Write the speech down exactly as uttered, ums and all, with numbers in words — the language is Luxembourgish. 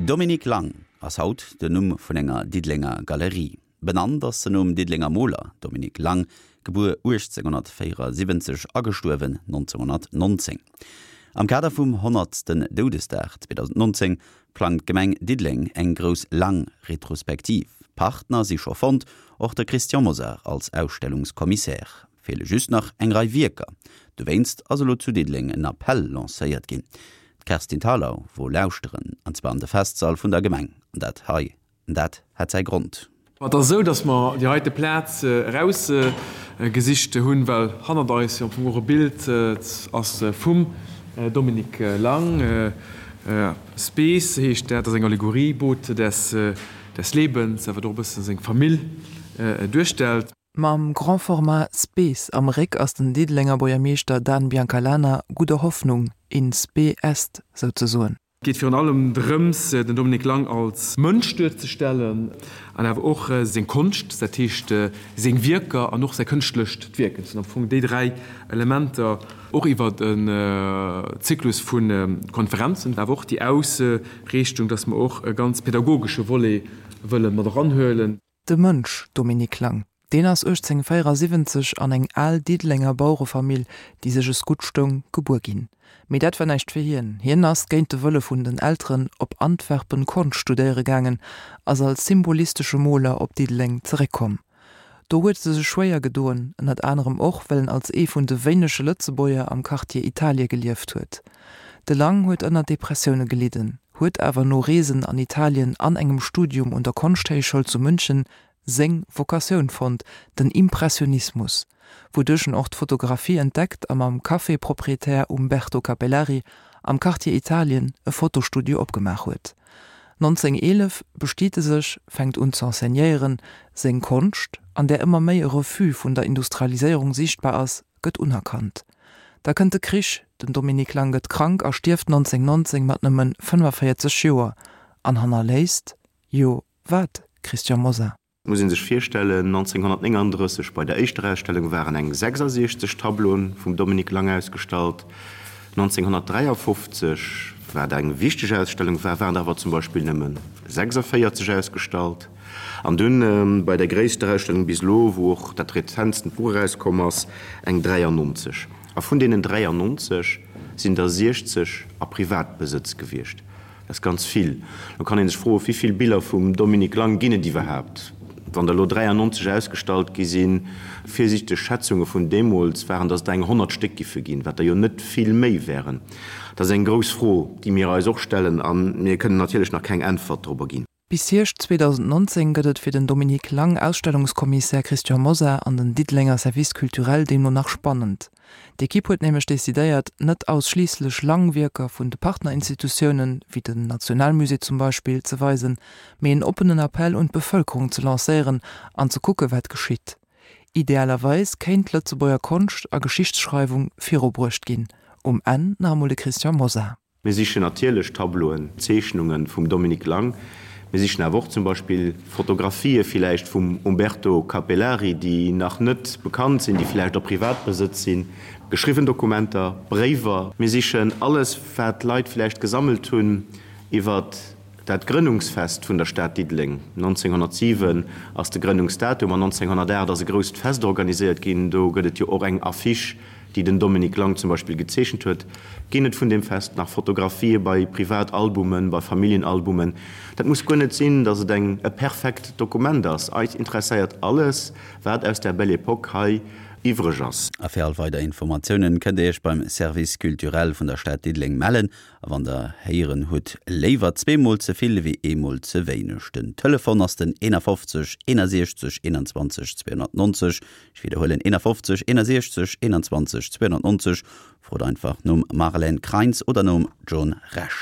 Dominique Lang ass haut den Numm vun enger Diddelenger Galerie. Benannt ass se nom Diddelenger Moler Dominique Lang, gebuer uechtzénghonnertvéierasiwwenzeg a gestuerwen nonzénghonnertnonzéng. Am Kader vum honnertsten Doudesdag zweedausendnonzéng plangt d'Gemeng Diddeleng eng grouss Lang-Retrospektiv. Partner si scho fonnt, och de Christian Mosar als Ausstellungskommissär. Feele just nach eng Rei Wierker. Dowéinst ass elo zu Diddeleng en Appell lancéiert ginn. D'Kerstin Thalau wor lauschteren, an zwar an de Festsall vun der Gemeng. An dat hei, dat hat säi Grond. Et ass esou, datt mer déi heite Plaz erausgesicht hunn, well hannert eis jo am Fong och e Bild ass vum Dominique Lang. Spes heescht dat, ass eng Allegorie, Boot des des Lebens, wat och e bësse seng Famill duerstellt. Mam Grand Format Spes am Réck ass den Diddelenger Buergermeeschter Dan Biancalana gudder Hoffnung, in spe est, souzesoen. Et geet virun allem drëms, den Dominique Lang als Mënsch duerzestellen an awer och seng Konscht, dat heescht seng Wierker an och säi kënschtlecht Wierken. Et sinn am Fong déi dräi Elementer, och iwwer en Zyklus vu Konferenzen, awer och déi Ausriichtung, dass mer och e ganz pädagogesche Volet wëlle mat eranhuelen. De Mënsch Dominique Lang, deen ass uechtzénghonnertvéierasiwwenzeg an eng al Diddelenger Bauerefamill, déi sech es gutt stoung, gebuer ginn. Mee dat war näischt fir hien. Hien ass géint de Wëlle vun den Elteren op Antwerpen Konscht studéiere gaangen, ass als symbolistesche Moler op Diddeleng zeréckkomm. Do huet e sech schwéier gedoen, ënnert anerem och, well en als ee vun de wéinege Lëtzebuerger am Quartier Italie gelieft huet. De Lang huet ënner Depressioune gelidden, huet awer no Reesen an Italien an engem Studium un der Konschthéichschoul zu München seng Vocatioun fonnt, den Impressionismus, wouduerch en och d'Fotografie entdeckt a mam Café-Proprietär Umberto Capellari am Quartier Italien e Fotostudio opgemaach huet. nonzéng eelef bestiet e sech, fänkt un ze enseignéieren, seng Konscht, an där ëmmer méi e Refus vun der Industrialiséierung siichtbar ass, gëtt unerkannt. Da kënnt de Krich, den Dominique Lang gëtt krank a stierft nonzéng nonzéng mat nëmme fënnefaféierzeg Joer an hannerléisst, jo wat, Christian Mosar? Muss ee sech virstellen, nonzénghonnertnénganddrësseg bei der éischter Ausstellung waren eng sechsasiechzeg Tableauen vum Dominique Lang ausgestallt, nonzénghonnertdräiafofzeg, wat eng wichteg Ausstellung war, waren der awer zum Beispill nëmme sechsavéierzeg ausgestallt. An dunn bei der gréisster Ausstellung bis elo, wou och dat rezentsten Buch erauskomm ass, eng dräiannonzeg. A vun deenen dräiannonzeg sinn der siechzeg a Privatbesëtz gewiescht. Dat ass ganz vill. Lo kann ee sech froen, Wéi vill Biller vum Dominique Lang ginn et iwwerhaapt? Wann der elo dräiannonzeg ausgestallt gi sinn, virsiichteg Schätzunge vun deemools waren, datt et der eng honnert Stéck giffe ginn, wat der jo net vill méi wären. Dat ass eng grouss Fro, déi mir eis och stellen, a mir kënnen natierlech nach keng Äntwert dorobber ginn. Bis Hierscht zweedausendnonzéng gëtt et fir den Dominique Lang, Ausstellungskommissär Christian Mosar an den Diddelenger Service culturel deemno nach spannend. D'Ekipp huet nämlech decidéiert, net ausschliisslech Lang-Wierker vun de Partnerinstitutiounen, wéi den Nationalmusée zum Beispill, ze weisen, mee en oppenen Appell un d'Bevëlkerung ze lancéieren an ze kucke wat geschitt. Idealerweis kéint d'Lëtzebuerger Konscht a Geschichtsschreiwung virubruecht ginn. Um Enn nach emol de Christian Mosar. Mir sichen natierlech Tableauen, Zeechnunge vum Dominique Lang. Mir sichen awer och zum Beispill Fotografië villäicht vum Umberto Capellari, déi nach net bekannt sinn, déi villäicht a Privatbesëtz sinn, geschriwwen Dokumenter, Bréiwer. Mir sichen alles, wat Leit villäicht gesammelt hunn iwwer dat Grënnungsfest vun der Stad Diddeleng. nonzénghonnertsiwen ass de Grënnungsdatum an nonzénghonnertaacht ass e grousst Fest organiséiert ginn. Do gëtt et jo och eng Affiche, déi den Dominique Lang zum Beispill gezeechent huet. Ginn et vun deem Fest nach Fotografië bei Privatalbumen, bei Familljenalbumen? Dat muss guer net sinn, datt et eng e perfekt Dokument ass. Eis interesséiert alles, wat aus der Belle Époque hei iwwreg ass. A fir all weider Informatiounen kënnt Dir Iech beim Service culturel vun der Stad Diddeleng mellen. A wann Der héieren hutt, léiwer zweemol ze vill ewéi eemol ze wéineg. Den Telefon ass den eenafofzeg eenasiechzeg eenanzwanzeg zweehonnertnonzeg. Ech widderhuelen, eenafofzeg eenasiechzeg eenanzwanzeg zweehonnertnonzeg. Frot einfach nom Marlène Kreins oder nom John Rech.